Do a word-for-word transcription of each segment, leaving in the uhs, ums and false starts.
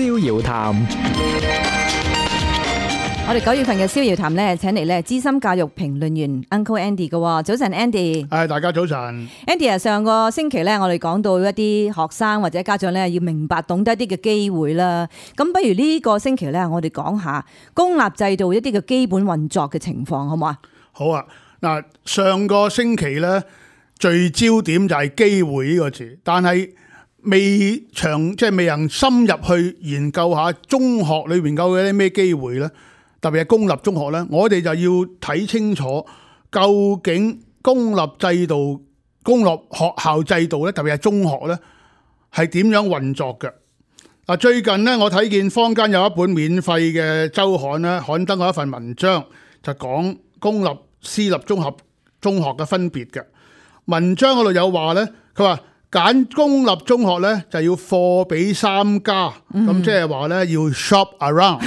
逍遙談。我哋九月份嘅逍遙談咧，請嚟咧資深教育評論員 Uncle Andy 嘅。早晨 Andy。係，大家早晨。Andy 啊，上個星期咧，我哋講到一啲學生或者家長咧，要明白懂得一啲嘅機會啦。咁不如呢個星期咧，我哋講下公立制度一啲嘅基本運作嘅情況，好唔好啊？好啊。嗱，上個星期咧，聚焦點就係機會呢個字，但係未長即係未能深入去研究下中學裏邊究竟有啲咩機會咧。特別係公立中學咧，我哋就要睇清楚究竟公立制度、公立學校制度咧，特別係中學咧，係點樣運作嘅。嗱，最近咧，我睇見坊間有一本免費嘅週刊咧，刊登過一份文章，就講公立、私立中學中學嘅分別嘅。文章嗰度有話咧，佢話揀公立中學咧就要貨比三家，咁、嗯、即係話咧要 shop around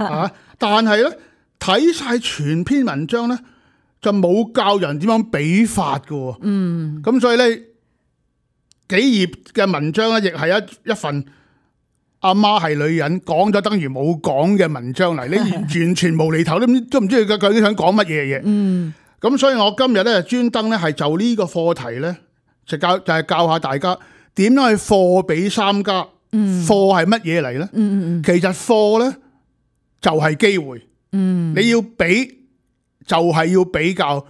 啊。但係咧睇晒全篇文章咧，就冇教人點樣比法嘅。嗯，咁所以咧幾頁嘅文章咧，亦係一一份阿媽係女人講咗等於冇講嘅文章嚟。你完全無厘頭都都唔知佢究竟想講乜嘢嘢。嗯，咁所以我今日咧專登咧係就呢個課題咧，就教就係、是、教下大家點樣去貨比三家。嗯，貨係乜嘢嚟咧？嗯嗯嗯，其實貨咧。就係機會，嗯，你要比就係要比較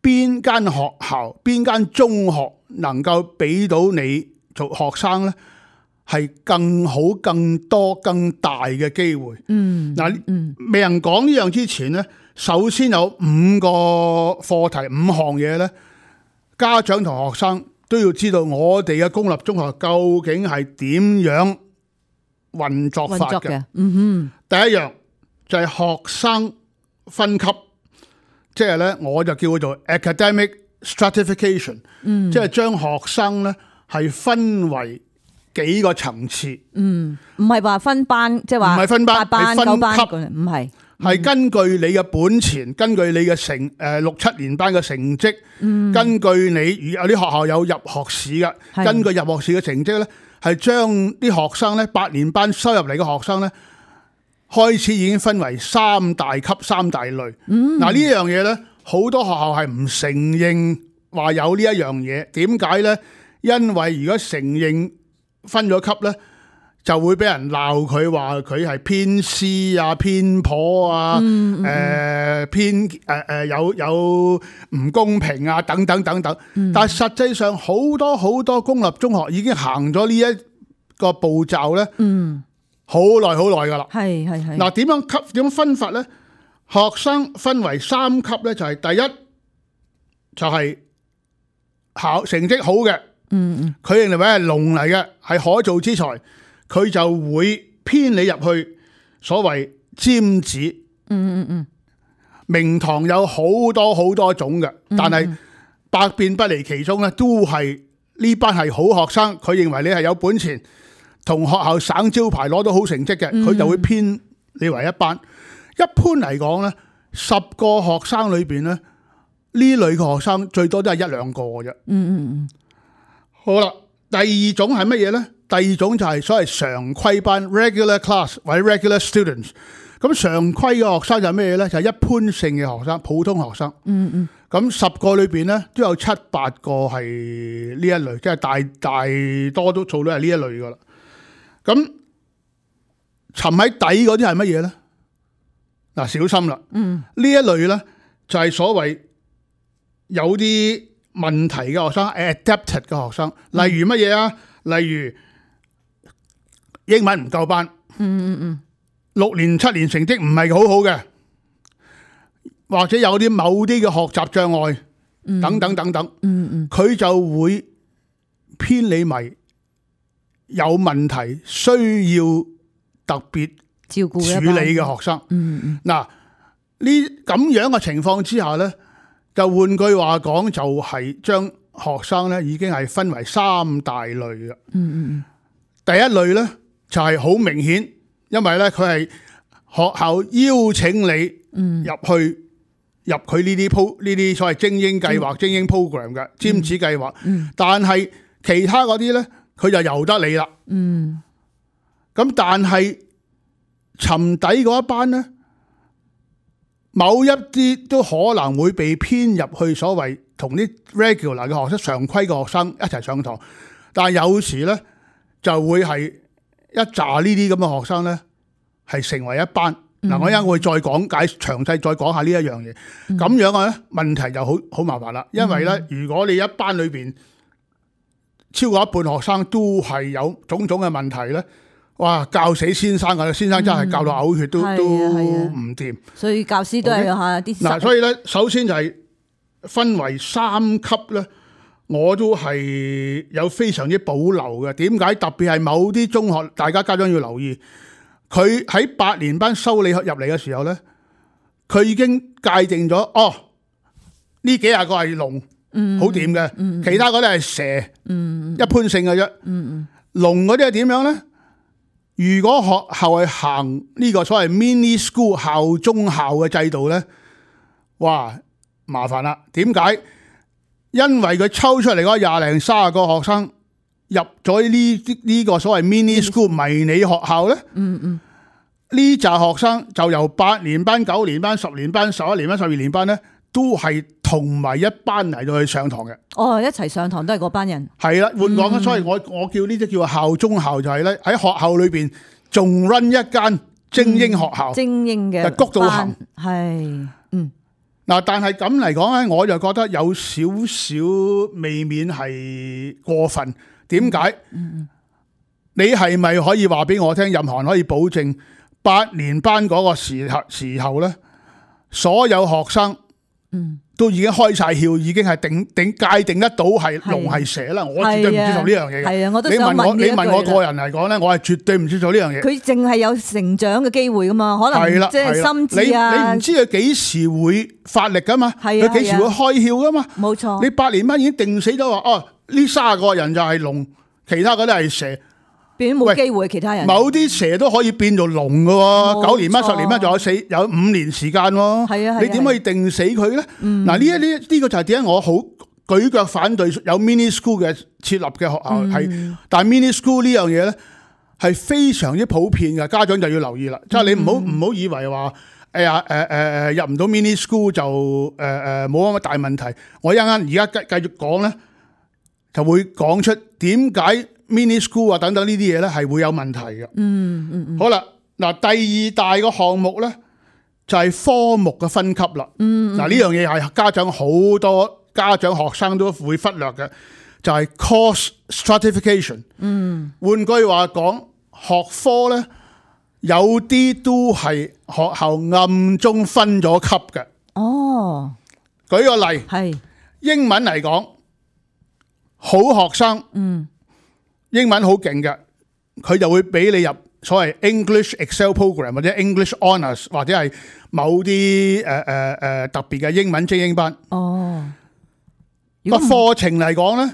邊間學校、邊間中學能夠俾到你做學生咧，係更好、更多、更大嘅機會。嗯，嗱，未人講呢樣之前咧，首先有五個課題、五項嘢咧，家長同學生都要知道我哋嘅公立中學究竟係點樣運作法嘅。嗯哼，第一樣。就係學生分級，即係咧，我就叫佢做 academic stratification，嗯，即係將學生咧係分為幾個層次，嗯，唔係話分班，即係話唔係分班，係分級，唔係，係根據你嘅本錢，根據你嘅成誒、呃、六七年班嘅成績，嗯，根據你有啲學校有入學試嘅，根據入學試嘅成績咧，係將啲學生咧八年班收入嚟嘅學生咧。開始已經分為三大級、三大類。嗱、嗯、呢樣嘢咧，好多學校係唔承認話有呢一樣嘢。點解咧？因為如果承認分咗級咧，就會俾人鬧佢話佢係偏私啊、偏頗啊、誒、嗯呃、偏誒誒、呃、有有唔公平啊等等等等。嗯、但係實際上好多好多公立中學已經行咗呢一個步驟咧。嗯好耐好耐噶啦，係係係。嗱，點樣級點樣分法咧？學生分為三級咧，就係、是、第一就係、是、考成績好嘅，嗯嗯，佢認為係龍嚟嘅，係可造之才，佢就會編你入去所謂尖子，嗯嗯嗯，名堂有好多好多種嘅，但係百變不離其宗咧，都係呢班係好學生，佢認為你係有本錢。同學校省招牌攞到好成績嘅，佢就會編你為一班。一般嚟講咧，十個學生裏邊咧，呢類嘅學生最多都係一兩個嘅啫。嗯嗯嗯。好啦，第二種係乜嘢咧？第二種就係所謂常規班 （regular class） 或者 regular students。咁常規嘅學生就係咩嘢咧？就係一般性嘅學生，普通學生。嗯嗯。咁十個裏邊咧，都有七八個係呢一類，即係大大多都做到係呢一類噶啦。咁沉喺底嗰啲係乜嘢咧？嗱，小心啦！嗯，呢一類咧就係所謂有啲問題嘅學生 ，adapted 嘅學生，例如乜嘢啊？例如英文唔夠班，嗯嗯嗯，六年七年成績唔係好好嘅，或者有啲某啲嘅學習障礙，等等等等，嗯嗯，佢就會偏離迷。有問題需要特別照顧處理嘅學生，嗯嗯，嗱呢咁樣嘅情況之下咧，就換句話講，就係將學生咧已經係分為三大類嘅，嗯嗯，第一類咧就係好明顯，因為咧佢係學校邀請你入去入佢呢啲鋪呢啲所謂精英計劃、嗯、精英 program 嘅尖子計劃，嗯嗯、但係其他嗰啲咧。佢就由得你啦，嗯，咁但係沉底嗰一班咧，某一啲都可能會被編入去所謂同啲 regular 嘅學生、常規嘅學生一齊上堂，但係有時咧就會係一紮呢啲咁嘅學生咧係成為一班。嗱、嗯，我一陣會再講解詳細，再講下呢一樣嘢。咁、嗯、樣嘅咧問題就好好麻煩啦，因為咧，如果你一班裏邊超過一半學生都係有種種嘅問題咧，哇！教死先生㗎，先生真係教到嘔血都、嗯、都唔掂。所以教師都係下啲嗱，所以咧，首先就係分為三級咧，我都係有非常之保留嘅。點解？特別係某啲中學，大家家長要留意。佢喺八年班收你入嚟嘅時候咧，佢已經界定咗哦，呢幾廿個係龍，好掂嘅，嗯、其他嗰啲係蛇，嗯、一般性嘅啫。嗯、龍嗰啲係點樣咧？如果學校係行呢個所謂 mini school 校中校嘅制度咧，哇，麻煩啦！點解？因為佢抽出嚟嗰廿零三十個學生。入咗呢呢個所謂 mini school 迷你學校咧，嗯嗯，呢紮學生就由八年班、九年班、十年班、十一年班、十二年班咧，都係同埋一班嚟到去上堂嘅。哦，一齊上堂都係嗰班人。係啦，換講啦，所以我我叫呢啲叫校中校，就係咧喺學校裏邊仲 run 一間精英學校，嗯、精英嘅谷到行係，嗯。嗱，但係咁嚟講咧，我就覺得有少少未免係過分。點解？嗯、你係咪可以話俾我聽？任何人可以保證八年班嗰個時候時候咧，所有學生都已經開晒竅，已經係定定界定得到係龍係蛇啦。我絕對唔接受呢樣嘢嘅。係啊，我都想問你問我個人嚟講咧，我係絕對唔接受呢樣嘢。佢淨係有成長嘅機會噶嘛？可能即係心智啊。你你唔知佢幾時會發力噶嘛？佢幾時會開竅噶嘛？冇錯。你八年班已經定死咗話哦。呢三十個人就係龍，其他嗰啲係蛇，變冇機會。其他人某啲蛇都可以變做龍嘅喎。九年班、十年班仲有四有五年時間喎。係啊，你點可以定死佢咧？嗱、嗯，呢一呢呢個就係點解我好舉腳反對有 mini school 嘅設立嘅學校係、嗯，但係 mini school 呢樣嘢咧係非常之普遍嘅，家長就要留意啦。即、嗯、係、就是、你唔好唔好以為話哎呀誒誒誒入唔到 mini school 就誒誒冇乜大問題。我一陣間而家繼繼續講咧。就會講出點解 mini school 啊等等呢啲嘢咧係會有問題嘅。嗯嗯嗯。好啦，嗱第二大個項目咧就係、是、科目嘅分級啦。嗯。嗱呢樣嘢係家長好多家長學生都會忽略嘅，就係、是、course stratification。嗯。換句話講，學科咧有啲都係學校暗中分咗級嘅。哦。舉個例，係英文嚟講。好學生，嗯，英文好勁嘅，佢就會俾你入所謂 English Excel Program 或者 English Honours 或者係某啲誒誒誒特別嘅英文精英班。哦，個課程嚟講咧，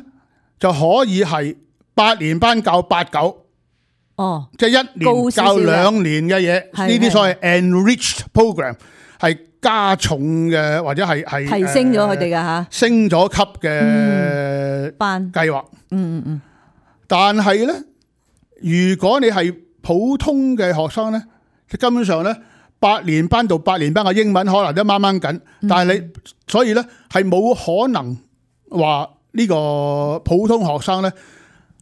就可以係八年班教八九，哦，即係一年教兩年嘅嘢，呢啲所謂 Enriched Program 係加重嘅或者係係提升咗佢哋嘅嚇，升咗級嘅班計劃。嗯嗯嗯。但係咧，如果你係普通嘅學生咧，根本上咧八年班到八年班嘅英文可能都掹掹緊，但係你所以咧係冇可能話呢個普通學生咧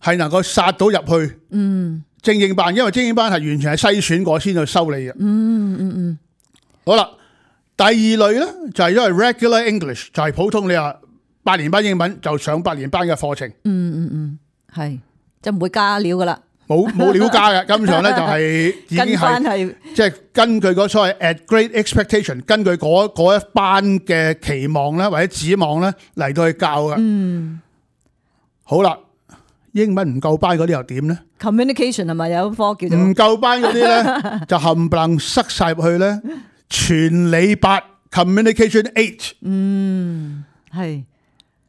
係能夠殺到入去嗯精英班，因為精英班係完全係篩選過先去收你嘅。嗯嗯嗯。好啦。第二類咧就係因為 regular English 就係普通，你話八年班英文就上八年班嘅課程。嗯嗯嗯，係就唔會加料噶啦，冇冇料加嘅，根本上咧就係已經係即係根據嗰所謂 at grade expectation， 根據嗰嗰一班嘅期望咧或者指望咧嚟到去教嘅。嗯，好啦，英文唔夠班嗰啲又點咧 ？Communication 係咪有科叫做？唔夠班嗰啲咧就冚唪唥塞晒入去咧。全理八 communication eight， 嗯，係，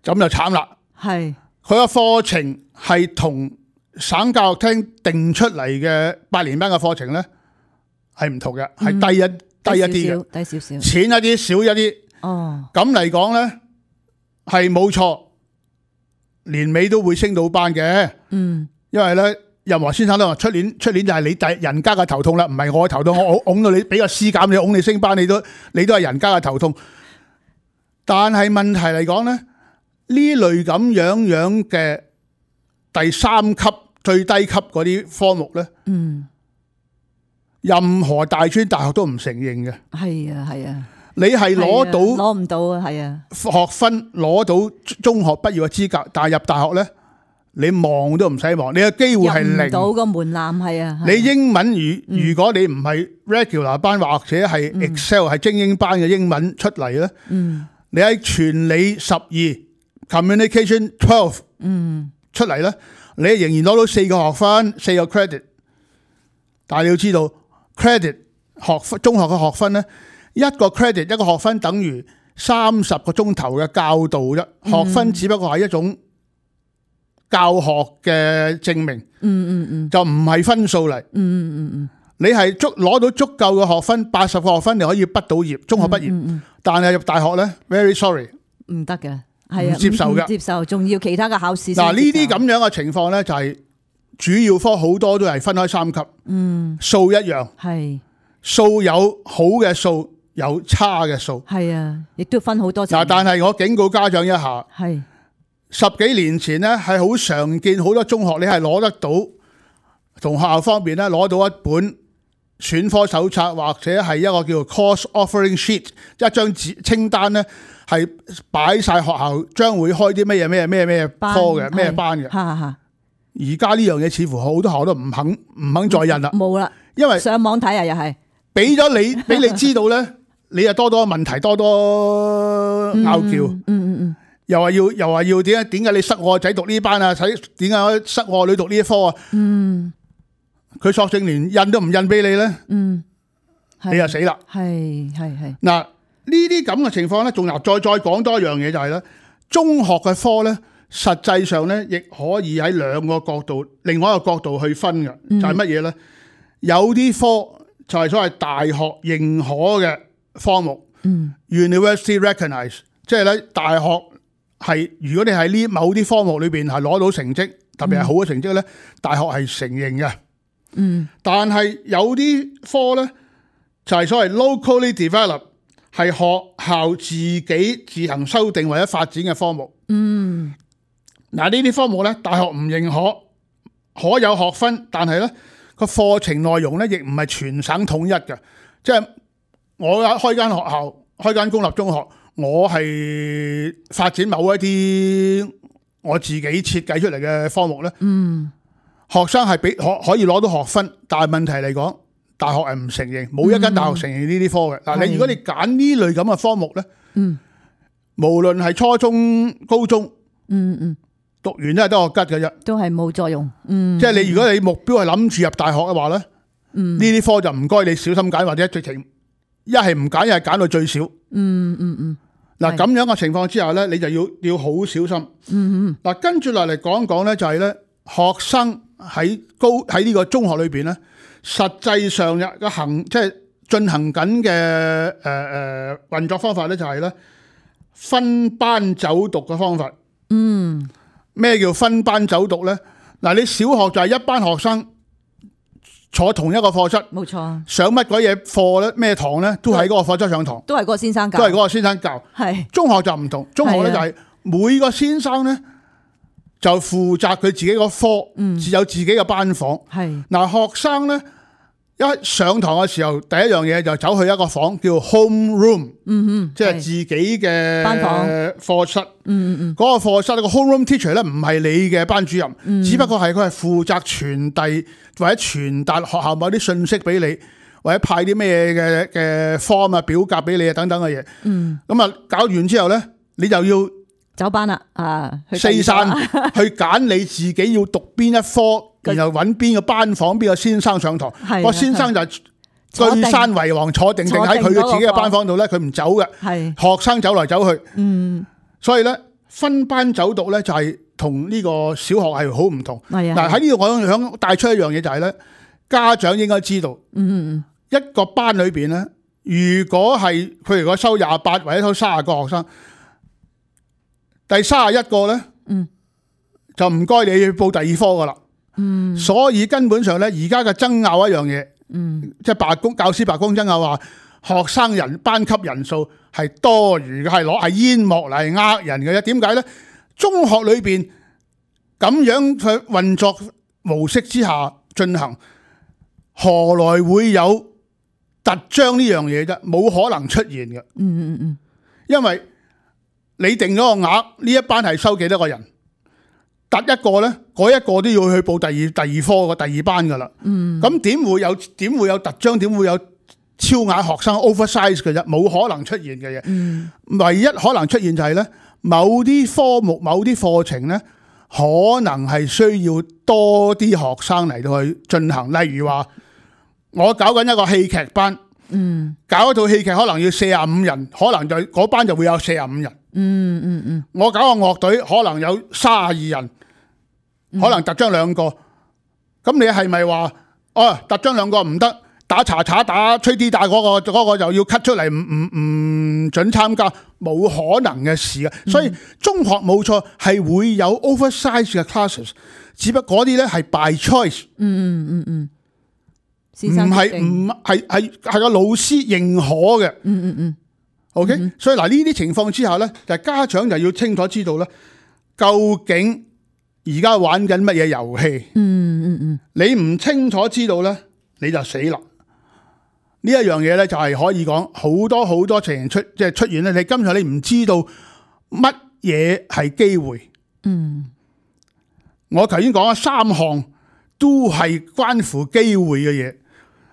咁就慘啦。係，佢個課程係同省教育廳定出嚟嘅八年班嘅課程咧係唔同嘅，係、嗯、低一低一啲嘅，低少少，淺一啲，少一啲。哦，咁嚟講咧係冇錯，年尾都會升到班嘅。嗯，因為咧任何先生都話出年出年就係你第人家嘅頭痛啦，唔係我嘅頭痛，我拱到你俾個 C 減你，拱你升班，你都你都係人家嘅頭痛。但係問題嚟講咧，呢類咁樣樣嘅第三級最低級嗰啲科目咧，嗯，任何大專大學都唔承認嘅。係啊係啊，你係攞到攞唔到啊，係啊，學分攞到中學畢業嘅資格，但係入大學咧，你望都唔使望，你嘅機會係零。入唔到個門檻係啊。你英文如如果你唔係 regular 班或者係 Excel 係精英班嘅英文出嚟咧，嗯，你喺全理十二 communication twelve 嗯出嚟咧，你仍然攞到四個學分四個 credit， 但係你要知道 credit 學分中學嘅學分咧，一個 credit 一個學分等於三十個鐘頭嘅教導啫，學分只不過係一種教學嘅證明，嗯嗯嗯，就唔係分數嚟，嗯嗯嗯嗯，你係足攞到足夠嘅學分，八十個學分你可以畢到業，中學畢業，嗯嗯但係入大學咧 ，very sorry，唔得嘅，係啊，唔接受嘅唔接受，仲要其他嘅考試先接受。嗱呢啲咁樣嘅情況咧，就係主要科好多都係分開三級，嗯，數一樣，係數有好嘅數，有差嘅數。係啊，亦都分好多層。嗱，但係我警告家長一下，係十幾年前咧係好常見，好多中學你係攞得到，同學校方面咧攞到一本選科手冊或者係一個叫做 course offering sheet， 一張紙清單咧係擺晒學校將會開啲咩嘢咩咩咩科嘅咩班嘅。嚇嚇，而家呢樣嘢似乎好多學校都唔肯唔肯再印啦，冇啦，因為上網睇啊，又係俾咗你俾你知道咧，你又多多問題，多多拗撬，嗯嗯嗯，又話要又話要點解點解你塞我個仔讀呢班啊？使點解塞我個女讀呢一科啊？嗯，佢索性連印都唔印俾你咧，嗯，你就死啦！係係係，嗱呢啲咁嘅情況咧，仲又再再講多一樣嘢就係咧，中學嘅科咧，實際上咧亦可以喺兩個角度，另外一個角度去分嘅，就係乜嘢咧？有啲科就係所謂大學認可嘅科目，嗯 University recognize， 即係咧大學係如果你喺呢某啲科目裏邊係攞到成績，特別係好嘅成績咧，大學係承認嘅。嗯，但係有啲科咧就係所謂 locally develop， 係學校自己自行修訂或者發展嘅科目。嗯，嗱呢啲科目咧，大學唔認可，可有學分，但係咧個課程內容咧亦唔係全省統一嘅，即係我開間學校，開間公立中學，我係發展某一啲我自己設計出嚟嘅科目咧。嗯，學生係俾可可以攞到學分，但係問題嚟講，大學係唔承認，冇一間大學承認呢啲科嘅。嗱、嗯，你如果你揀呢類咁嘅科目咧，嗯，無論係初中、高中，嗯嗯，讀完都係得個吉嘅啫，都係冇作用。嗯，即係你如果你目標係諗住入大學嘅話咧，嗯，呢啲科就唔該你小心揀，或者直情一係唔揀，一係揀到最少。嗯嗯嗯。嗱咁樣嘅情況之下咧，你就要要好小心。嗯嗯。嗱，跟住落嚟講講咧，就係咧學生。喺高喺呢個中學裏邊咧，實際上嘅行即係進行緊嘅誒誒運作方法咧，就係咧分班走讀嘅方法。嗯，咩叫分班走讀咧？嗱，你小學就係一班學生坐同一個課室，冇錯，上乜鬼嘢課咧？咩堂咧？都喺嗰個課室上堂，都係嗰個先生教，都係嗰個先生教。係中學就唔同，中學咧就係每個先生咧。就負責佢自己個科，只有自己嘅班房。係嗱，學生咧一上堂嘅時候，第一樣嘢就走去一個房叫 home room，嗯哼，即係自己嘅班房課室。嗯嗯嗯，嗰個課室個 home room teacher 咧唔係你嘅班主任，嗯、只不過係佢係負責傳遞或者傳達學校某啲信息俾你，或者派啲咩嘅嘅 form 啊表格俾你啊等等嘅嘢。嗯，咁啊搞完之後咧，你就要。走班啦，啊，四散去揀你自己要讀邊一科，然後揾邊個班房，邊個先生上堂。個先生就居山為王，坐定定喺佢嘅自己嘅班房度咧，佢唔走嘅。係學生走來走去，嗯，所以咧分班走讀咧就係同呢個小學係好唔同。嗱喺呢度我想帶出一樣嘢就係咧，家長應該知道，嗯嗯，一個班裏邊咧，如果係佢如果收廿八或者收卅個學生。第三十一個咧，嗯，就唔該你去報第二科噶啦，嗯，所以根本上咧，而家嘅爭拗一樣嘢，嗯，即係罷工教師罷工爭拗話，學生人班級人數係多餘嘅，係攞係煙幕嚟呃人嘅啫。點解咧？中學裏邊咁樣嘅運作模式之下進行，何來會有特章呢樣嘢啫？冇可能出現嘅。嗯嗯嗯，因為你定咗個額，呢一班係收幾多個人？突一個咧，嗰一個都要去報第二第二科嘅第二班噶啦。嗯，咁點會有點會有特章？點會有超額學生 oversize 嘅啫？冇可能出現嘅嘢。嗯，唯一可能出現就係咧，某啲科目、某啲課程咧，可能係需要多啲學生嚟到去進行。例如話，我搞緊一個戲劇班，嗯，搞一套戲劇可能要四十五人，可能就嗰班就會有四十五人。嗯嗯嗯，我搞個樂隊可能有三十二人，可能特章兩個，咁你係咪話哦特章兩個唔得，打查查打吹啲打嗰個嗰個就要 cut 出嚟，唔唔唔准參加？冇可能嘅事嘅。所以中學冇錯係會有 oversize 嘅 classes， 只不過嗰啲咧係 by choice。嗯嗯嗯嗯，唔係唔係係係個老師認可嘅。嗯嗯嗯。OK，嗯、所以嗱呢啲情況之下咧，就係、家長就要清楚知道咧，究竟而家玩緊乜嘢遊戲？嗯嗯嗯，你唔清楚知道咧，你就死啦！呢一樣嘢咧，就係可以講好多好多情形出，即係出現咧。你今日你唔知道乜嘢係機會。嗯，我頭先講咗三項都係關乎機會嘅嘢，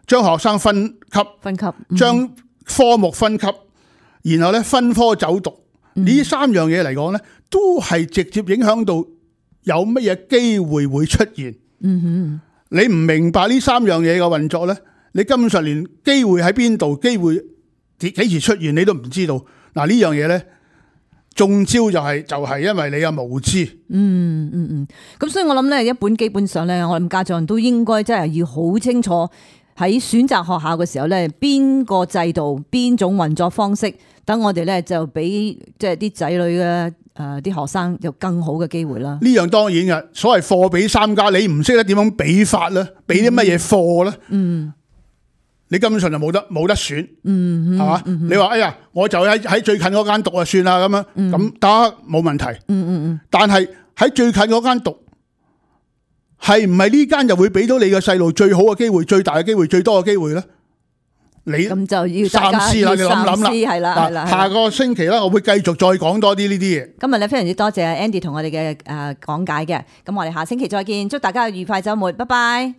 將學生分級，分級，將、嗯、科目分級。然後咧分科走讀，呢、嗯、三樣嘢嚟講咧，都係直接影響到有乜嘢機會會出現。嗯哼，你唔明白呢三樣嘢嘅運作咧，你根本上連機會喺邊度，機會幾時出現你都唔知道。嗱呢樣嘢咧，中招就係、是、就係、是、因為你嘅無知。嗯嗯嗯，咁所以我諗咧，一本基本上咧，我諗家長都應該真係要好清楚喺選擇學校嘅時候咧，邊個制度、邊種運作方式。等我哋咧就俾即係啲仔女嘅誒啲學生有更好嘅機會啦。呢樣當然嘅，所謂貨比三家，你唔識得點樣比法咧，俾啲乜嘢貨咧？嗯，你根本上就冇得冇得選。嗯，係嘛？嗯、你話哎呀，我就喺喺最近嗰間讀就算啦，咁樣咁得冇問題。嗯嗯嗯。但係喺最近嗰間讀，係唔係呢間就會俾到你嘅細路最好嘅機會、最大嘅機會、最多嘅機會咧？你咁就要三思啦，你諗諗啦，係啦，係啦。下個星期咧，我會繼續再講多啲呢啲嘢。今日咧非常之多謝 Andy 同我哋嘅誒講解嘅，咁我哋下星期再見，祝大家愉快週末，拜拜。